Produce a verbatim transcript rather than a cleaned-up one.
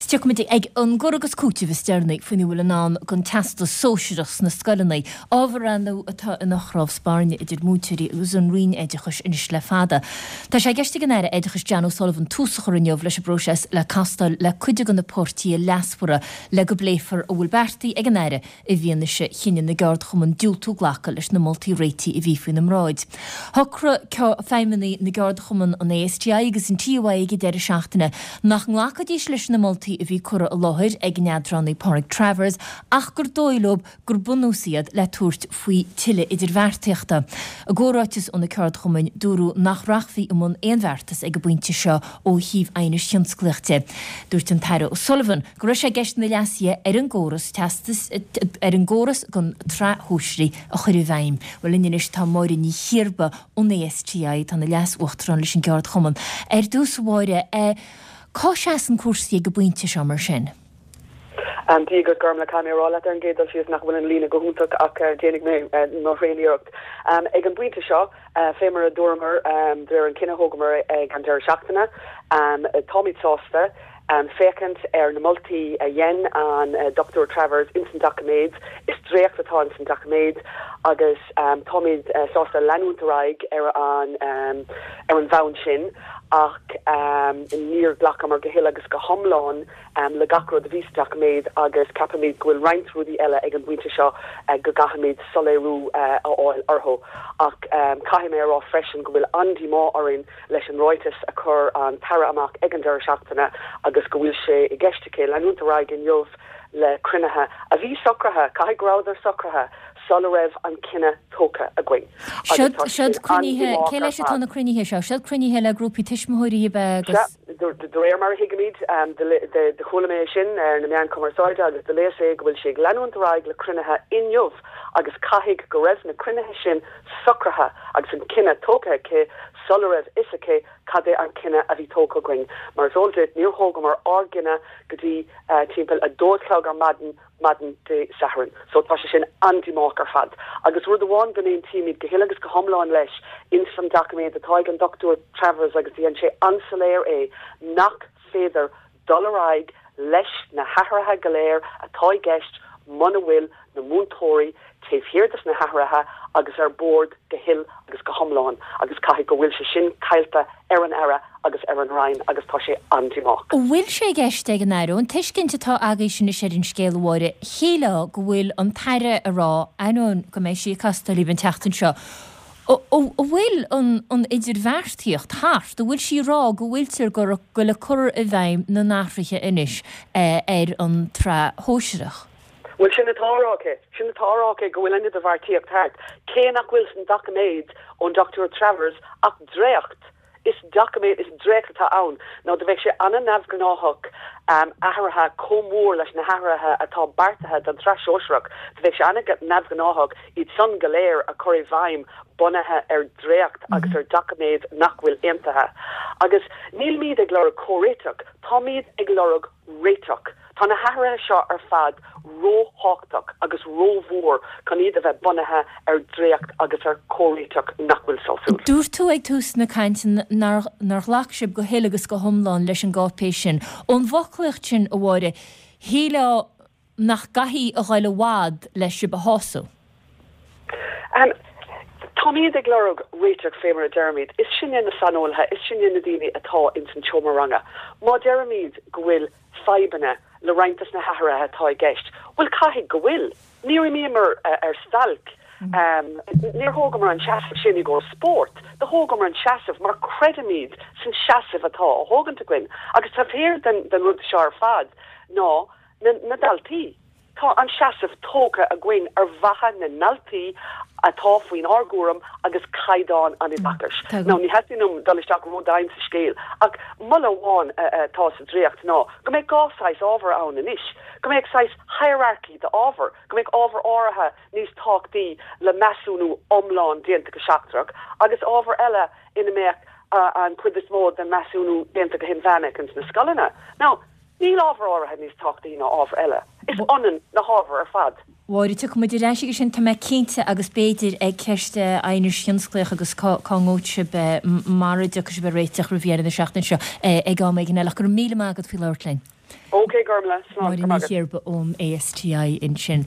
Tiocfaimid ag an gcur agus cúiteamh is deireanaí faoina bhfuil i ndán don Teastas Sóisearach sna scoileanna, ábhar ar ndóigh atá ina chnámh spairne idir múinteoirí agus an Roinn Oideachais anois le fada. Tá sé i gceist ag an Aire Oideachais Jan O'Sullivan tús a chur inniu leis an bpróiseas le castáil le cuid de na páirtithe leasmhara le go bpléifear a bhfuil beartaithe ag an Aire i bhfianaise chinneadh na gceardchumann diúltú glacadh leis na moltaí réitigh a bhí faoina mbráid. Shocraigh feidhmeannaigh na gceardchumann an ASTI agus an TUI ag an deireadh seachtaine nach nglacfaidís leis na moltaí a bhí curtha i láthair ag an eadránaí Pádraig Travers ach gur dóigh leo gur bunús iad le tabhairt faoi tuilleadh idirbheartaíochta. I gcomhráiteas ó na ceardchumainn dúradh nach rachfaí i mbun aon bheartas ag an bpointe seo ó thaobh aighnis thionsclaíoch de. Dúirt an tAire O'Sullivan go raibh sé i gceist na leasuithe ar an gcóras teastas ar an gcóras don tsraith shóisearach a chur i bhfeidhm. Bhuel linn anois tá Máire Ní Chiarba ón ASTI atá ina leas-uachtarán leis an gceardchumann. Ar dtús a Mháire, cá seasann cúrsaí ag an bpointe seo mar sin? Um, Dia duit Gormla caithfidh mé a rá leat ar an gcéad dul síos nach bhfuil an líne go hiontach ach uh, déanfaidh mé uh, mo thréaniarracht. Um, ag an bpointe seo uh, fé mar a dúramar um, de réir an cinneadh a thógamar ag an deireadh seachtaine, um, táimid sásta um, féachaint ar na moltaí a dhein an uh, Dr. Travers ins an doiciméad is dréacht atá ins an doiciméad agus um, táimid uh, sásta leanúint ar aghaidh ar an um, ar an bhonn sin ach um, níor ghlacamar go huile agus go hiomlán um, le gach rud a bhí sa doiciméad agus ceapaimid go bhfuil roinnt rudaí eile ag an bpointe seo uh, go gcaithfimid soiléiriú uh, a fháil orthu ach um, caithfidh mé a rá freisin go bhfuil an-díomá orainn leis an ráiteas a chuir an tAire amach ag an deireadh seachtaine agus go bhfuil sé i gceist aici leanúint ar aghaidh inniu le cruinnithe a bhí socraithe caithfidh go rabhadar socraithe sula raibh an cinneadh tógtha againn. Siod cruinnithe cé leis atá na cruinnithe seo, siod cruinnithe le grúpaí tuismitheoirí agus De réir mar a thuigimid de chuala mé sin ar na meáin chumarsáide agus de léas é go bhfuil sé ag leanúint ar aghaidh le cruinnithe inniu agus caithfidh go raibh na cruinnithe sin socraithe agus an cinneadh tógtha aici sula raibh fhios aici cad é an cinneadh a bhí tógtha againn. Mar is eol duit níor thógamar ár gcinneadh go dtí uh, timpeall a dó a chlog ar maidin maidin Dé Sathairn. So tá sé sin an-díomách ar fad. Agus rud amháin go n-aontaímid go huile agus go hiomlán leis ins an doiciméad atá ag an Dr. Travers agus dhein sé an-soiléir é nach féidir dul ar aghaidh leis na hathruithe go léir atá i gceist muna bhfuil na múinteoirí taobh thiar des na hathruithe agus ar bord go huile agus go hiomlán agus caithfidh go bhfuil sé sin caillte ar an Aire agus ar an Roinn agus tá sé an-díomách. Bhfuil sé i gceist ag an Aire an tuiscint atá agaibh sin ar an scéal a Mháire shílfeá go bhfuil an tAire ag rá ainneoin go mbeidh sí ag castáil libh an tseachtain seo. An bhfuil an idirbheartaíocht thart, an bhfuil sí ag rá go bhfuiltear ag gabháil a cur i bhfeidhm na n-athruithe anois ar an tsraith shóisearach. Well sin atá á rá aici, sin atá á rá aici go bhfuil an idirbheartaíocht thart, cé nach bhfuil san doiciméad ón Dr. Travers ach dréacht is doiciméad is dréacht atá ann. Nó do bheadh sé an-neamhghnách um, athruithe chomh mór leis na hathruithe atá beartaithe don tsraith shóisearach, do bheadh sé an-neamhghnách iad san go léir a chur i bhfeidhm bunaithe ar dréacht mm -hmm. agus ar doiciméad nach bhfuil aontaithe. Agus nílmid ag lorg comhréiteach, táimid ag lorg réiteach. Tá na hathruithe seo ar fad róthábhachtach agus rómhór chun iad a bheith bunaithe ar dréacht agus ar chomhréiteach nach bhfuil sásúil. Dúirt tú ag tús na cainte nár ghlac sibh go huile agus go hiomlán leis an gcáipéis sin. Ón bhfoclaíocht sin a Mháire, shílfeá nach gcaithfidh a ghoil i bhfad le sibh a shásamh. Um, Táimid ag lorg réiteach fé mar a deirimid, is sinne na saineolaithe, is sinne na daoine atá ins an seomra ranga. Má deirimid go bhfuil fadhbanna le roinnt des na hathruithe atá i gceist. Well caithfidh go bhfuil. Níor imíomar uh, ar stailc. Um, níor thógamar an seasamh sin i gcomhair spórt, do thógamar an seasamh mar creidimid san seasamh atá á thógaint againn, agus taobh thiar den, den rud seo ar fad ná na, na daltaí. Tá an seasamh tógtha againn ar mhaithe na ndaltaí atá faoin ár gcúram agus caighdeán an oideachais. Nó ní theastaíonn uaim dul isteach ródhomhain sa scéal ach moladh amháin atá sa dréacht ná go mbeidh dhá saghas ábhar ann anois, go mbeidh saghas hierarchy d'ábhar, go mbeidh ábhar áirithe níos tábhachtaí le measúnú iomlán déanta go seachtrach, agus ábhar eile ina mbeadh an chuid is mó den measúnú déanta go hinmheánach ins na scoileanna. Now, níl ábhar áirithe níos tábhachtaí ná ábhar eile. Is ionann na hábhair ar fad. Mháire tiocfaimid ar ais aige sin tá mé cinnte agus b'fhéidir ag ceist aighnis thionsclaíoch agus cá ngabhfaidh sibh mara dtiocfaidh sibh ar réiteach roimh dheireadh na seachtaine seo ag am éigin eile. Go raibh míle maith agat faoi labhairt linn. Ok Gormla Máire Ní Chéarba ón ASTI ansin.